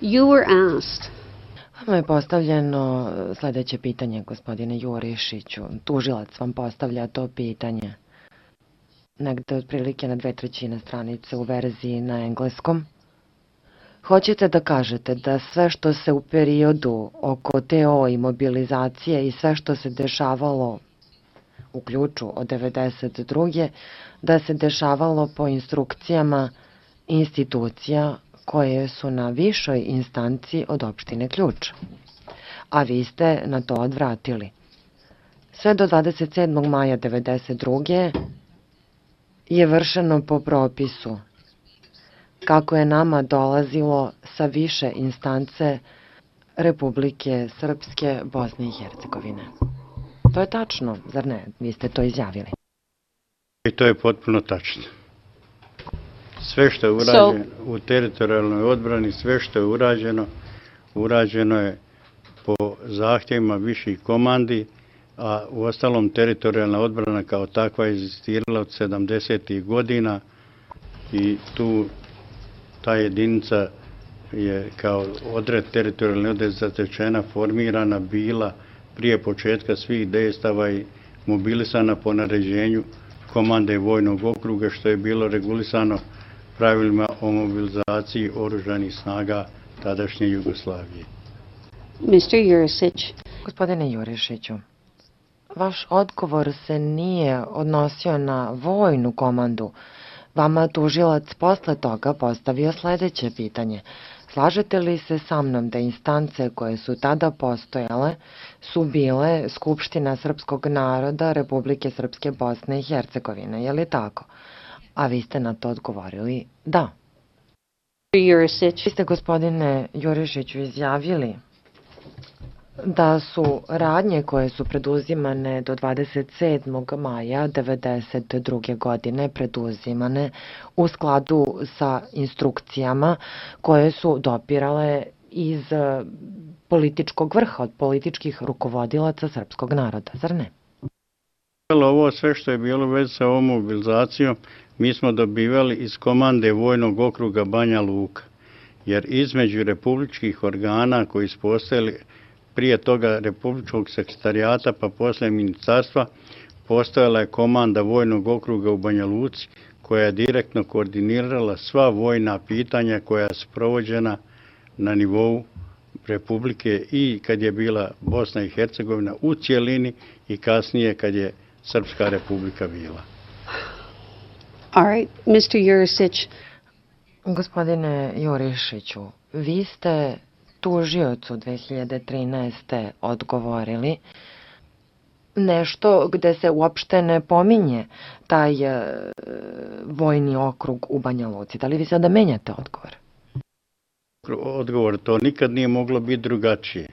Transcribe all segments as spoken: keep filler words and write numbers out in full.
You were asked. Vama je postavljeno sledeće pitanje, gospodine Jurišiću. Tužilac vam postavlja to pitanje. Negde otprilike na dve trećine stranice u verziji na engleskom. Hoćete da kažete da sve što se u periodu oko T O i mobilizacije i sve što se dešavalo u ključu od devedeset druge da se dešavalo po instrukcijama institucija koje su na višoj instanci od opštine Ključ, a vi ste na to odvratili. Sve do dvadeset sedmog maja devedeset druge je vršeno po propisu, kako je nama dolazilo sa više instance Republike Srpske, Bosne i Hercegovine. To je tačno, zar ne? Vi ste to izjavili. I to je potpuno tačno. Sve što je urađeno u teritorijalnoj odbrani, sve što je urađeno, urađeno je po zahtjevima viših komandi, a u ostalom teritorijalna odbrana kao takva je egzistirala od sedamdesetih godina i tu ta jedinica je kao odred teritorijalne odred zatečena, formirana bila prije početka svih dejstava i mobilisana po naređenju komande vojnog okruga, što je bilo regulisano pravilima o mobilizaciji oružanih snaga tadašnje Jugoslavije. mister Jurisić. Gospodine Jurišiću, vaš odgovor se nije odnosio na vojnu komandu. Vama tužilac posle toga postavio sledeće pitanje. Slažete li se sa mnom da instance koje su tada postojale su bile Skupština srpskog naroda Republike Srpske, Bosne i Hercegovine, je li tako? A vi ste na to odgovorili da. Jurisić. Vi ste, gospodine Jurišiću, izjavili da su radnje koje su preduzimane do dvadeset sedmog maja devedeset druge godine preduzimane u skladu sa instrukcijama koje su dopirale iz političkog vrha, od političkih rukovodilaca srpskog naroda, zar ne? Ovo sve što je bilo već sa ovom mobilizacijom mi smo dobivali iz komande vojnog okruga Banja Luka, jer između republičkih organa koji su postojali prije toga republičkog sekretarijata pa posle ministarstva postojala je komanda vojnog okruga u Banja Luci koja je direktno koordinirala sva vojna pitanja koja su provođena na nivou Republike i kad je bila Bosna i Hercegovina u cijelini i kasnije kad je Srpska republika bila. All right, mister Jurisić. Gospodine Jurišiću, vi ste tužiocu dve hiljade trinaeste. odgovorili nešto gde se uopšte ne pominje taj e, vojni okrug u Banja Luci. Da li vi sada menjate odgovor? Odgovor, to nikad nije moglo biti drugačije.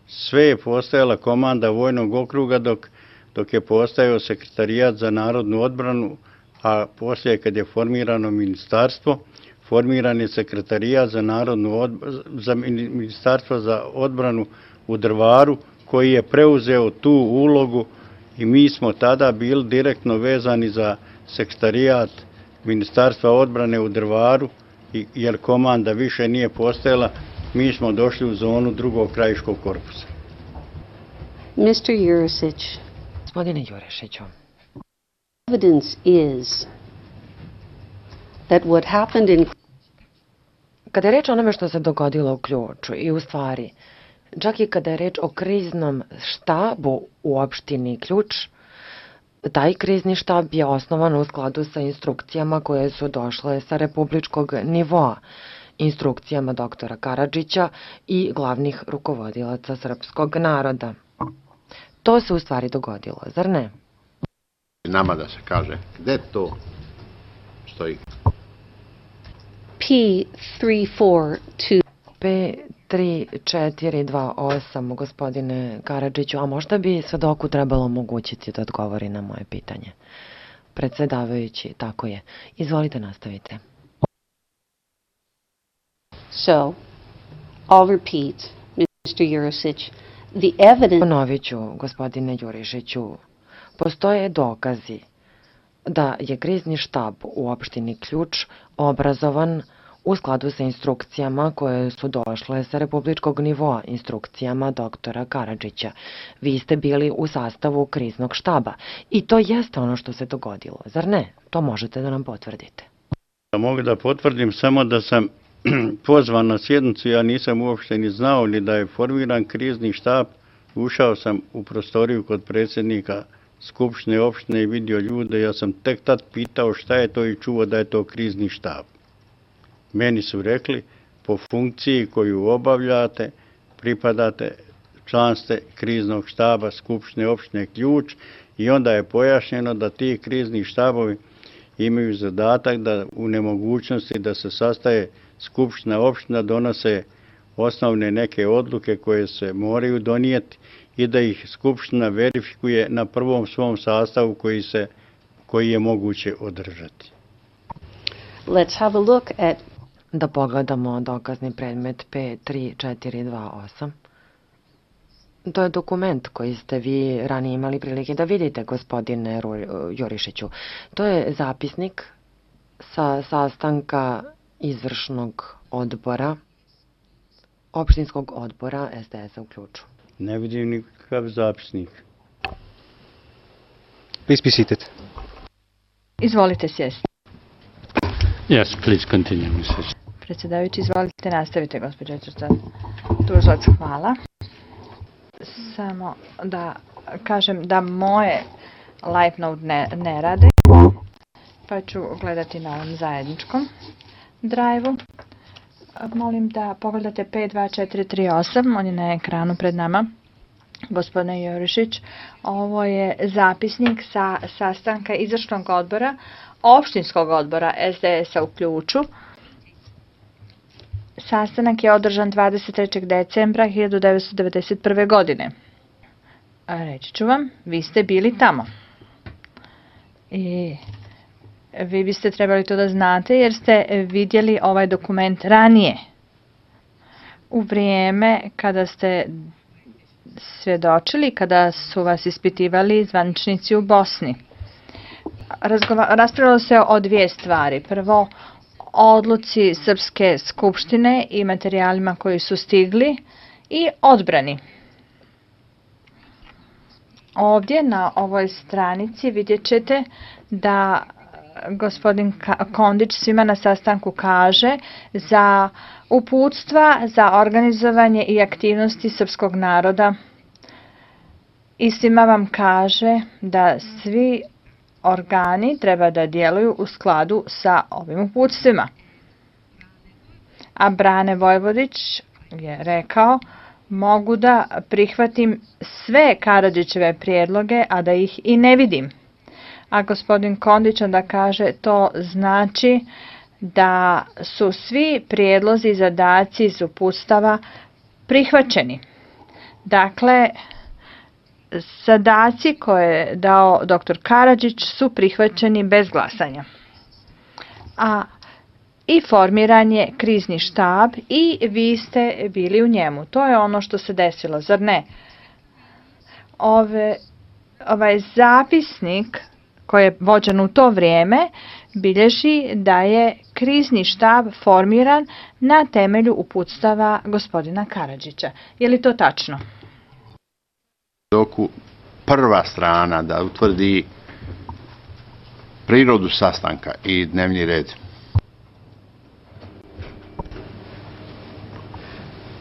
Sve je postojala komanda vojnog okruga dok, dok je postojao sekretarijat za narodnu odbranu, a poslije kad je formirano ministarstvo, formiran je sekretarijat za narodnu odbranu, za ministarstvo za odbranu u Drvaru, koji je preuzeo tu ulogu i mi smo tada bili direktno vezani za sekretarijat ministarstva odbrane u Drvaru, jer komanda više nije postojala, mi smo došli u zonu drugog krajiškog korpusa. mister Jurisić. Gospodine Jurišiću. Evidence is that what happened in... Kada je reč o onome što se dogodilo u Ključu i u stvari, čak i kada je reč o kriznom štabu u opštini Ključ, taj krizni štab je osnovan u skladu sa instrukcijama koje su došle sa republičkog nivoa, instrukcijama doktora Karadžića i glavnih rukovodilaca srpskog naroda. To se u stvari dogodilo, zar ne? Nama da se kaže, gde to stoji? P tri četiri dva P tri četiri dva osam, gospodine Karadžiću, a možda bi svedoku trebalo omogućiti da odgovori na moje pitanje. Predsedavajući, tako je. Izvolite, nastavite. So, I'll repeat, mister Jurisić, the evidence... Ponovit ću, gospodine Jurišiću, postoje dokazi da je krizni štab u opštini Ključ obrazovan u skladu sa instrukcijama koje su došle sa republičkog nivoa, instrukcijama doktora Karadžića. Vi ste bili u sastavu kriznog štaba i to jeste ono što se dogodilo, zar ne? To možete da nam potvrdite. Mogu da potvrdim samo da sam pozvan na sjednicu, ja nisam uopšte ni znao ni da je formiran krizni štab. Ušao sam u prostoriju kod predsjednika Skupštine opštine i vidio ljude, ja sam tek tad pitao šta je to i čuo da je to krizni štab. Meni su rekli, po funkciji koju obavljate, pripadate, član ste kriznog štaba Skupštine opštine Ključ i onda je pojašnjeno da ti krizni štabovi imaju zadatak da u nemogućnosti da se sastaje Skupština opština donose osnovne neke odluke koje se moraju donijeti i da ih Skupština verifikuje na prvom svom sastavu koji, se, koji je moguće održati. Let's have a look at Da pogledamo dokazni predmet P tri četiri dva osam. To je dokument koji ste vi ranije imali prilike da vidite, gospodine Jurišiću. To je zapisnik sa sastanka izvršnog odbora, opštinskog odbora S D S-a u Ključu. Ne vidim nikakav zapisnik. Please be seated. Izvolite sjesti. Yes, please continue, missus Predsjedavajući, izvolite, nastavite, gospođo Tužilac, hvala. Samo da kažem da moje live note ne, ne rade, pa ću gledati na ovom zajedničkom drive-u. Molim da pogledate P dva četiri tri osam, on je na ekranu pred nama. Gospodine Jurišić, ovo je zapisnik sa sastanka izvršnog odbora, opštinskog odbora S D S-a u Ključu. Sastanak je održan dvadeset trećeg decembra hiljadu devetsto devedeset prve. godine. Reći ću vam, vi ste bili tamo. I vi biste trebali to da znate jer ste vidjeli ovaj dokument ranije. U vrijeme kada ste svjedočili, kada su vas ispitivali zvaničnici u Bosni. Raspravljalo se o dvije stvari. Prvo, odluci Srpske skupštine i materijalima koji su stigli i odbrani. Ovdje na ovoj stranici vidjet ćete da gospodin Kondić svima na sastanku kaže za uputstva za organizovanje i aktivnosti srpskog naroda i svima vam kaže da svi organi treba da djeluju u skladu sa ovim uputstvima. A Brane Vojvodić je rekao, mogu da prihvatim sve Karadžićeve prijedloge, a da ih i ne vidim. A gospodin Kondić onda kaže, to znači da su svi prijedlozi i zadaci iz uputstava prihvaćeni. Dakle, zadaci koje je dao doktor Karadžić su prihvaćeni bez glasanja. A i formiran je krizni štab i vi ste bili u njemu. To je ono što se desilo, zar ne? Ove, ovaj zapisnik koji je vođen u to vrijeme bilježi da je krizni štab formiran na temelju uputstava gospodina Karadžića. Je li to tačno? Doku prva strana da utvrdi prirodu sastanka i dnevni red.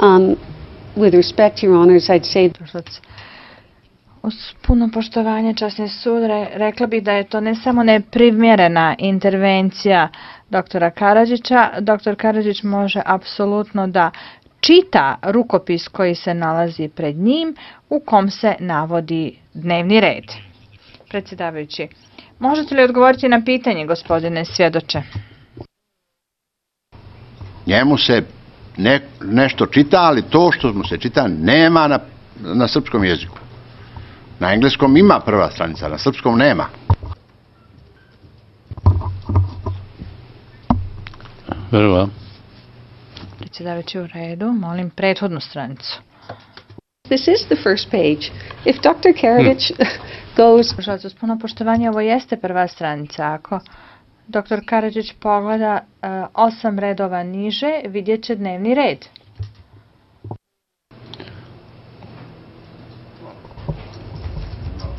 Um, with respect, Your Honors, I'd say uz puno poštovanje, časni sud, rekla bih da je to ne samo neprimjerena intervencija doktora Karadžića. Doktor Karadžić može apsolutno da čita rukopis koji se nalazi pred njim u kom se navodi dnevni red. Predsjedavajući, možete li odgovoriti na pitanje, gospodine svjedoče? Njemu se ne, nešto čita, ali to što mu se čita nema na, na srpskom jeziku. Na engleskom ima prva stranica, na srpskom nema. Very well. Predsjedavajući, u redu, molim prethodnu stranicu. this is the first page. If Doctor Karadžić goes... Uz puno poštovanje, ovo jeste prva stranica. Ako doktor Karadžić pogleda uh, osam redova niže, vidjet će dnevni red.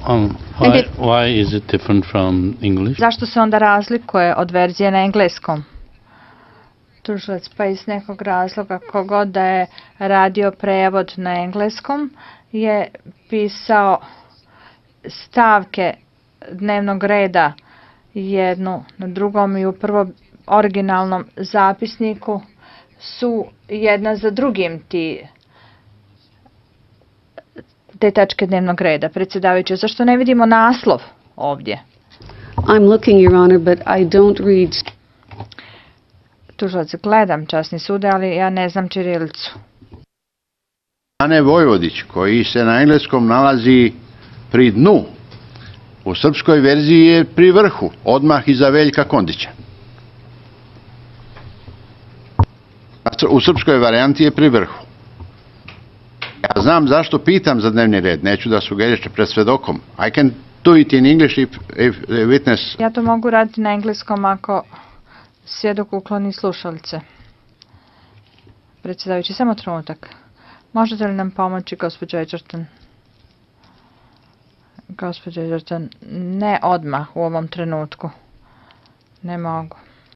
Um, why, why is it different from English? Zašto se onda razlikuje od verzije na engleskom? Tužilac, pa iz nekog razloga kogod da je radio prevod na engleskom je pisao stavke dnevnog reda jednu na drugom i u prvom originalnom zapisniku su jedna za drugim ti te tačke dnevnog reda. Predsjedavajući, zašto ne vidimo naslov ovdje? I'm looking, Your Honor, but I don't read... Tužilac, gledam, časni sude, ali ja ne znam ćirilicu. Ane Vojvodić, koji se na engleskom nalazi pri dnu, u srpskoj verziji je pri vrhu, odmah iza Veljka Kondića. U srpskoj varijanti je pri vrhu. Ja znam zašto pitam za dnevni red, neću da sugerišem pred svedokom. I can do it in English if, if the witness... Ja to mogu raditi na engleskom ako svjedok ukloni slušalice. Predsjedavajući, samo trenutak. Možete li nam pomoći, gospođo Edgerton? Gospođo Edgerton, ne odmah u ovom trenutku. Ne mogu.